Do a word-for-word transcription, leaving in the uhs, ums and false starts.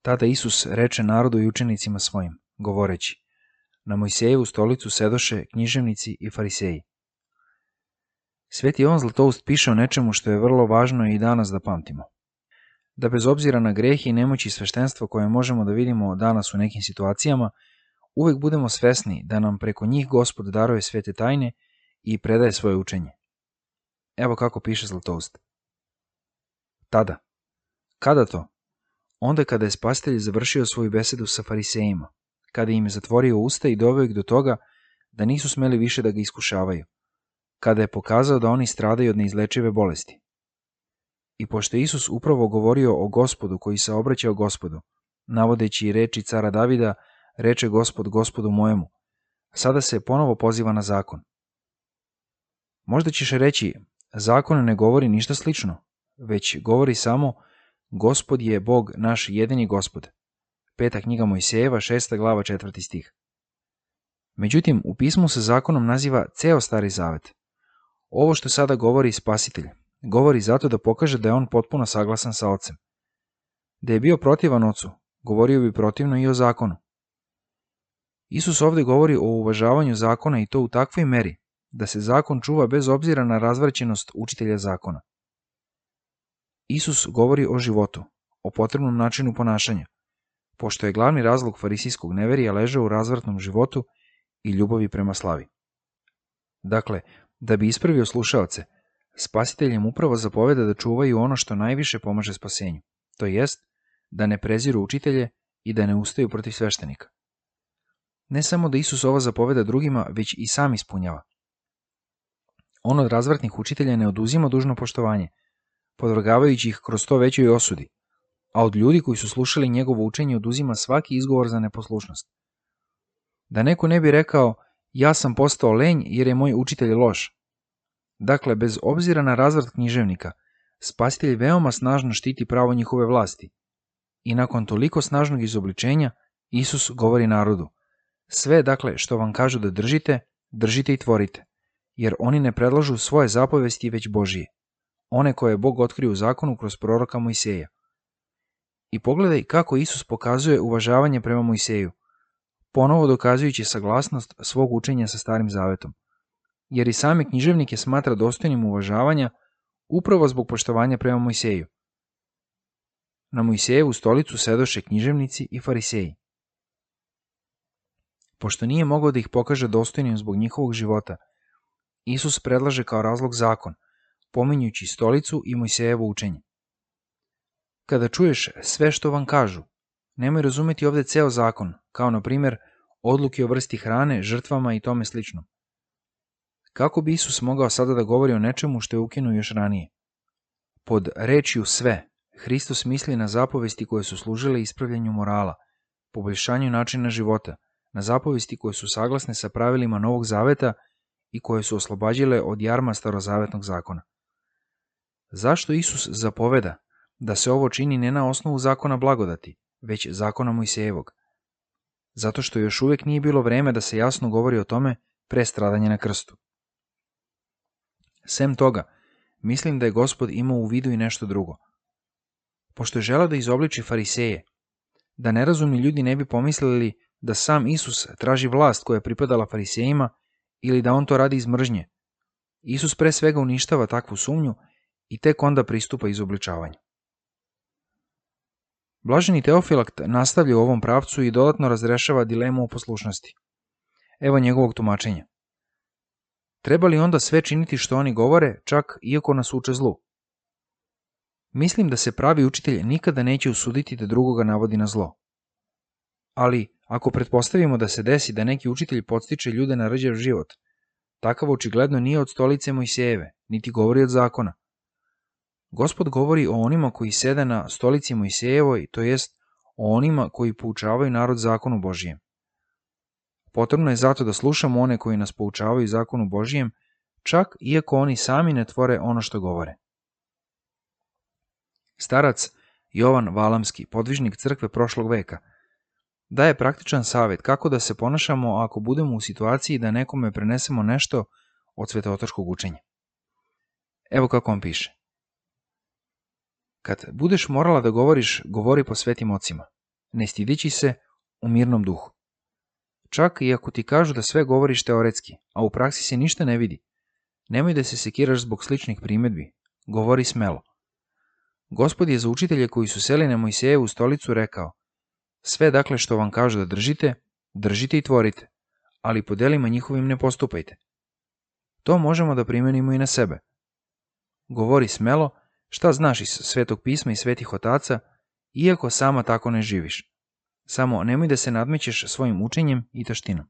Tada Isus reče narodu i učenicima svojim, govoreći: Na Mojsijevu stolicu sedoše književnici i fariseji. Sveti Jovan Zlatoust piše o nečemu što je vrlo važno i danas da pamtimo. Da bez obzira na greh i nemoći sveštenstva koje možemo da vidimo danas u nekim situacijama, uvek budemo svesni da nam preko njih Gospod daruje svete tajne i predaje svoje učenje. Evo kako piše Zlatoust. Tada. Kada to? Onda kada je Spasitelj završio svoju besedu sa farisejima, kada im je zatvorio usta i doveo ih do toga da nisu smeli više da ga iskušavaju, kada je pokazao da oni stradaju od neizlečive bolesti. I pošto je Isus upravo govorio o Gospodu koji se obraćao Gospodu, navodeći reči cara Davida, reče Gospod Gospodu mojemu, sada se ponovo poziva na zakon. Možda ćeš reći, zakon ne govori ništa slično, već govori samo Gospod je Bog naš jedini Gospod. Peta knjiga Mojsijeva, šesta glava, četvrti stih. Međutim, u pismu se zakonom naziva ceo Stari Zavet. Ovo što sada govori Spasitelj, govori zato da pokaže da je on potpuno saglasan sa Ocem. Da je bio protivan Ocu, govorio bi protivno i o zakonu. Isus ovde govori o uvažavanju zakona i to u takvoj meri da se zakon čuva bez obzira na razvraćenost učitelja zakona. Isus govori o životu, o potrebnom načinu ponašanja, pošto je glavni razlog farisijskog neverija ležao u razvratnom životu i ljubavi prema slavi. Dakle, da bi ispravio slušaoce, Spasitelj im upravo zapoveda da čuvaju ono što najviše pomaže spasenju, to jest da ne preziru učitelje i da ne ustaju protiv sveštenika. Ne samo da Isus ovo zapoveda drugima, već i sam ispunjava. On od razvratnih učitelja ne oduzima dužno poštovanje, podvrgavajući ih kroz to većoj osudi, a od ljudi koji su slušali njegovo učenje oduzima svaki izgovor za neposlušnost. Da neko ne bi rekao, ja sam postao lenj jer je moj učitelj loš. Dakle, bez obzira na razvrat književnika, Spasitelj veoma snažno štiti pravo njihove vlasti. I nakon toliko snažnog izobličenja, Isus govori narodu, sve dakle što vam kažu da držite, držite i tvorite, jer oni ne predlažu svoje zapovesti već Božije, one koje je Bog otkrio u zakonu kroz proroka Mojsijeja. I pogledaj kako Isus pokazuje uvažavanje prema Mojsijeju, ponovo dokazujući saglasnost svog učenja sa Starim Zavetom, jer i same književnike smatra dostojnim uvažavanja upravo zbog poštovanja prema Mojsijeju. Na Mojsijevu stolicu sedoše književnici i fariseji. Pošto nije mogao da ih pokaže dostojnim zbog njihovog života, Isus predlaže kao razlog zakon, pominjući stolicu i Mojsijevo učenje. Kada čuješ sve što vam kažu, nemoj razumeti ovde ceo zakon, kao na primjer odluke o vrsti hrane, žrtvama i tome slično. Kako bi Isus mogao sada da govori o nečemu što je ukinuo još ranije? Pod rečju sve, Hristos misli na zapovesti koje su služile ispravljanju morala, poboljšanju načina života, na zapovesti koje su saglasne sa pravilima Novog Zaveta i koje su oslobađale od jarma starozavetnog zakona. Zašto Isus zapoveda da se ovo čini ne na osnovu zakona blagodati, već zakona Mojsijevog? Zato što još uvek nije bilo vreme da se jasno govori o tome pre stradanja na krstu. Sem toga, mislim da je Gospod imao u vidu i nešto drugo. Pošto je želeo da izobliči fariseje, da nerazumni ljudi ne bi pomislili da sam Isus traži vlast koja je pripadala farisejima ili da on to radi iz mržnje, Isus pre svega uništava takvu sumnju i tek onda pristupa izobličavanju. Blaženi Teofilakt nastavlja u ovom pravcu i dodatno razrešava dilemu o poslušnosti. Evo njegovog tumačenja. Treba li onda sve činiti što oni govore, čak iako nas uče zlu? Mislim da se pravi učitelj nikada neće usuditi da drugoga navodi na zlo. Ali, ako pretpostavimo da se desi da neki učitelj podstiče ljude na rđav život, takav očigledno nije od stolice Mojsijeve, niti govori od zakona. Gospod govori o onima koji sede na stolici Mojsijevoj, to jest o onima koji poučavaju narod zakonu Božijem. Potrebno je zato da slušamo one koji nas poučavaju zakonu Božijem, čak iako oni sami ne tvore ono što govore. Starac Jovan Valamski, podvižnik crkve prošlog veka, daje praktičan savjet kako da se ponašamo ako budemo u situaciji da nekome prenesemo nešto od svetootačkog učenja. Evo kako on piše. Kad budeš morala da govoriš, govori po svetim ocima. ne stideći se, u mirnom duhu. Čak i ako ti kažu da sve govoriš teoretski, a u praksi se ništa ne vidi, nemoj da se sekiraš zbog sličnih primjedbi, govori smelo. Gospod je za učitelje koji su seli na Mojsijevu stolicu rekao: sve dakle što vam kažu da držite, držite i tvorite, ali po delima njihovim ne postupajte. To možemo da primenimo i na sebe. Govori smelo šta znaš iz Svetog pisma i svetih otaca, iako sama tako ne živiš. Samo nemoj da se nadmećeš svojim učenjem i taštinom.